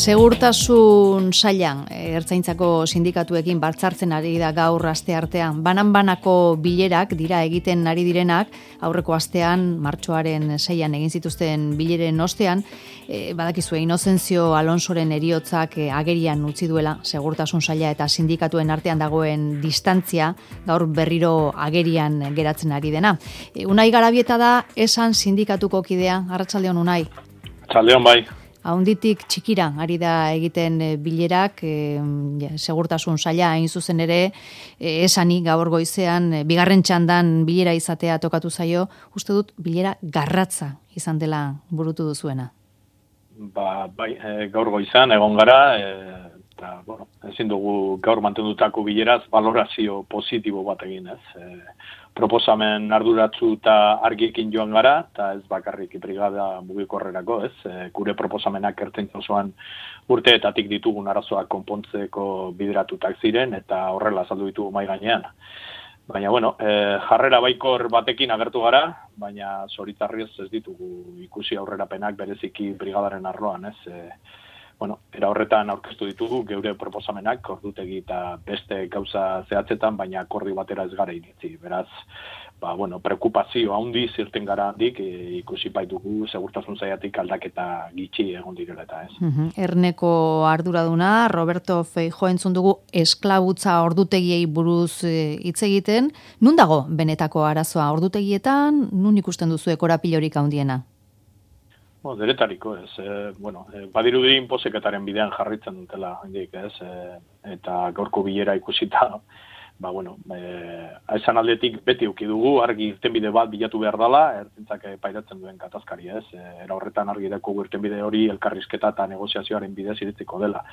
Segurtasun sailan, Ertzaintzako sindikatuekin batzartzen ari da gaur asteartean. Banan-banako bilerak dira egiten ari direnak, aurreko astean, martxoaren 6an egin zituzten bileren ostean, badakizue Inozentzio Alonsoren heriotzak agerian utzi duela, segurtasun saila eta sindikatuen artean dagoen distantzia, gaur berriro agerian geratzen ari dena. Unai Garabieta da, esan sindikatuko kidea, arratsaldeon Unai. Arratsaldeon bai. Haunditik txikira ari da egiten bilerak, segurtasun saila hain zuzen ere, esani gaur goizean, bigarren txandan bilera izatea tokatu zaio, uste dut bilera garratza izan dela burutu duzuena. Bai, gaur goizan egon gara, eta, ezin dugu gaur mantendutako bileraz valorazio positibo bat egin, ez? Proposamen arduratsu eta argiekin joan gara, eta ez bakarrik brigada mugikorrerako, ez? Gure proposamenak Ertzaintza osoan urteetatik ditugun arazoak konpontzeko bideratutak ziren, eta horrela azaldu ditugu mahai gainean. Baina, jarrera baikor batekin agertu gara, baina zoritxarrez ez ditugu ikusi aurrerapenak bereziki brigadaren arloan, ez? Era horretan aurkeztu ditugu geure proposamenak, ordutegi eta beste gauza zehatzetan, baina akordio batera ez gara iritzi. Beraz, preokupazio handiz irten gara handik, ikusi baitugu segurtasun sailatik aldaketa gitxi egon direla eta ez. Erneko arduraduna, Roberto Feijóo entzun dugu esklabutza ordutegiei buruz hitz egiten. Nun dago benetako arazoa ordutegietan, nun ikusten duzu korapilorik handiena? Deretariko, ez. Badirudi inposeketaren bidean jarritzen dutela, handik, ez. Eta gaurko bilera ikusita, esan aldetik beti uki dugu, argi irtenbide bat bilatu behar dela, Ertzaintzak pairatzen duen gatazkari, ez. Era horretan argi deko irtenbide hori elkarrizketa eta negoziazioaren bidez iritziko dela.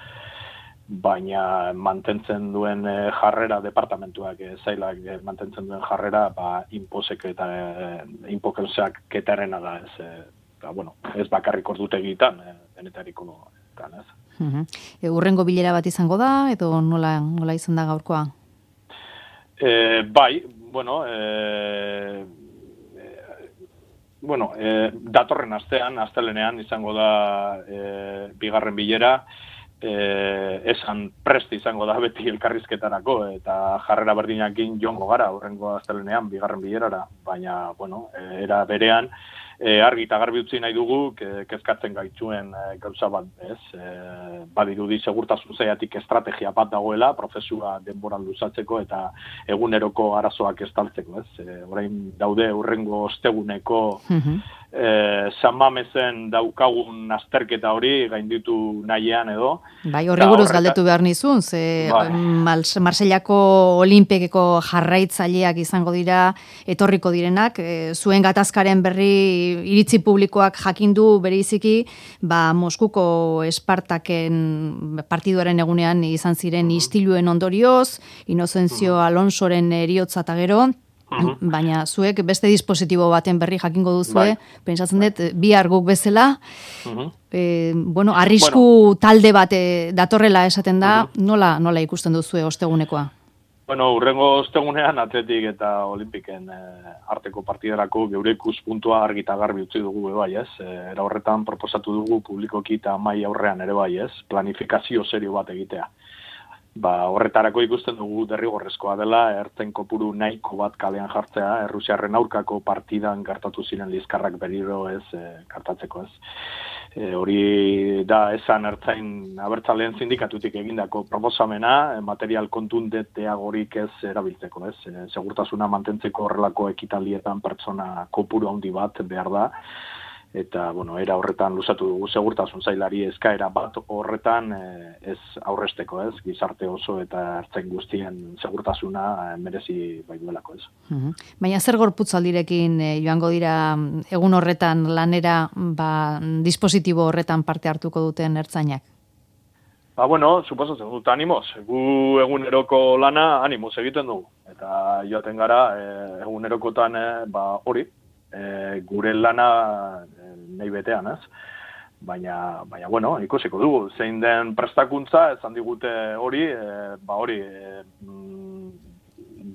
Baina mantentzen duen jarrera, departamentuak, zailak mantentzen duen jarrera, inposeketaren da, ez. Ez bakarrik ordutegitan, denetariko ez. Hurrengo bilera bat izango da, edo nola izan da gaurkoa? Datorren astean, astelenean izango da bigarren bilera, esan prest izango da beti elkarrizketarako, eta jarrera berdinakin joango gara, hurrengo astelenean bigarren bilerara, baina, era berean, argi eta garbi utzi nahi dugu, kezkatzen gaituen gauza bat, ez? Badirudi segurtasun sailatik estrategia bat dagoela, prozesua denboran luzatzeko eta eguneroko arazoak estaltzeko, ez? Orain daude hurrengo osteguneko San Mamezen daukagun azterketa hori gainditu nahian edo. Bai, horri buruz galdetu behar nizun, Marseillako Olinpekeko jarraitzaileak izango dira, etorriko direnak, zuen gatazkaren berri iritzi publikoak jakindu bereiziki, Moskuko Espartaken partiduaren egunean izan ziren istiluen ondorioz, Inozentzio Alonsoren heriotza eta gero, baina zuek beste dispositibo baten berri jakingo duzue, pentsatzen dut, bihar guk bezala, arrisku talde bat datorrela esaten da, nola ikusten duzue ostegunekoa? Hurrengo ostegunean Atletik eta Olimpiken arteko partiderako geure ikuspuntua argi eta garbi utzi dugu bai, ez? Era horretan proposatu dugu publikoki eta mahai aurrean ere bai, ez? Planifikazio serio bat egitea. Horretarako ikusten dugu derrigorrezkoa dela, ertzen kopuru nahiko bat kalean jartzea, Errusiarren aurkako partidan gertatu ziren liskarrak berriro ez gertatzeko, ez. Hori da esan Ertzain abertzaleen sindikatutik egindako proposamena, material kontundenteagorik ez erabiltzeko, ez. Segurtasuna mantentzeko horrelako ekitaldietan pertsona kopuru handi bat behar da. Eta, era horretan luzatu dugu segurtasun sailari eskaera bat horretan ez aurresteko, ez, gizarte oso eta ertzain guztien segurtasuna merezi bai duelako, ez. Baina zer gorputzaldirekin joango dira egun horretan lanera, dispositibo horretan parte hartuko duten ertzainak? Suposatzen dut animoz. Gu eguneroko lana animoz egiten dugu. Eta joaten gara egunerokotan hori, gure lana nahi betean, ez? Baina, ikusiko dugu, zein den prestakuntza, esan digute hori,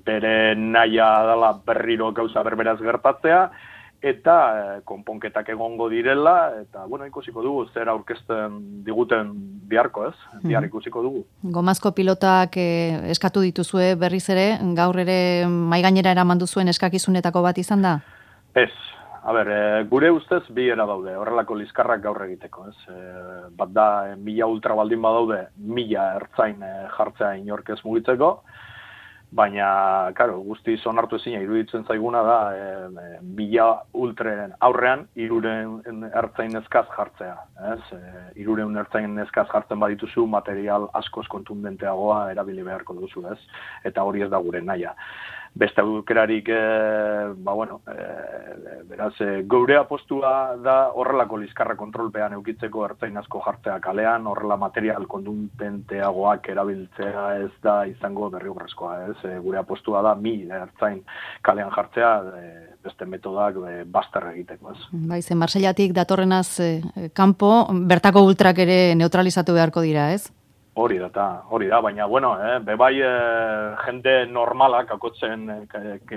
bere nahia dela berriro gauza berberaz gertatzea, eta konponketak egongo direla, eta, bueno, ikusiko dugu, zer aurkezten diguten biharko, ez? Bihar ikusiko dugu. Gomazko pilotak eskatu dituzue berriz ere, gaur ere maigainera eraman duzuen eskakizunetako bat izan da? Ez. A ber, gure ustez bi era daude, horrelako liskarrak gaur egiteko, ez? Bat da, 1000 ultra baldin badaude, 1000 ertzain jartzea inork ez mugitzeko, baina, karo, guztiz onartu ezina iruditzen zaiguna da, 1000 ultren aurrean, 300 ertzain eskaz jartzea, ez? 300 ertzain eskaz jartzen badituzu, material askoz kontundenteagoa erabili beharko duzu, ez? Eta hori ez da gure nahia. Beste aukerarik, beraz, geure apostua da horrelako liskarra kontrolpean eukitzeko ertzain asko jartzea kalean, horrela material kontundenteagoak erabiltzea ez da izango derrigorrezkoa, ez? Gure apostua da 1000 ertzain kalean jartzea, beste metodak bazter egiteko, ez? Baize, Marseillatik datorrenaz kanpo, bertako ultrak ere neutralizatu beharko dira, ez? Hori da, baina, bebai jende normalak, akotzen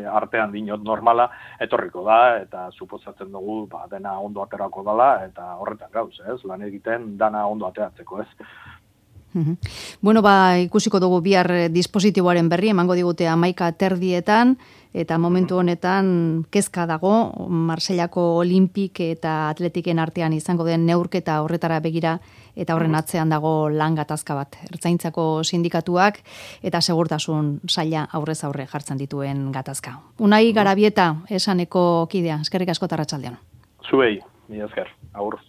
artean dinot normala, etorriko da, eta suposatzen dugu, dena ondo aterako dela, eta horretan gauz, ez? Lan egiten dana ondo ateratzeko, ez? Bueno, ikusiko dugu bihar dispositiboaren berri, emango digute 11:30, eta momentu honetan kezka dago, Marsellako Olimpik eta Atletiken artean izango den neurketa horretara begira, eta horren atzean dago lan gatazka bat. Ertzaintzako sindikatuak eta segurtasun saila aurrez aurre jartzen dituen gatazka. Unai Garabieta, esaneko kidea, eskerrik asko eta arratsaldeon. Zuei, mila esker, agur.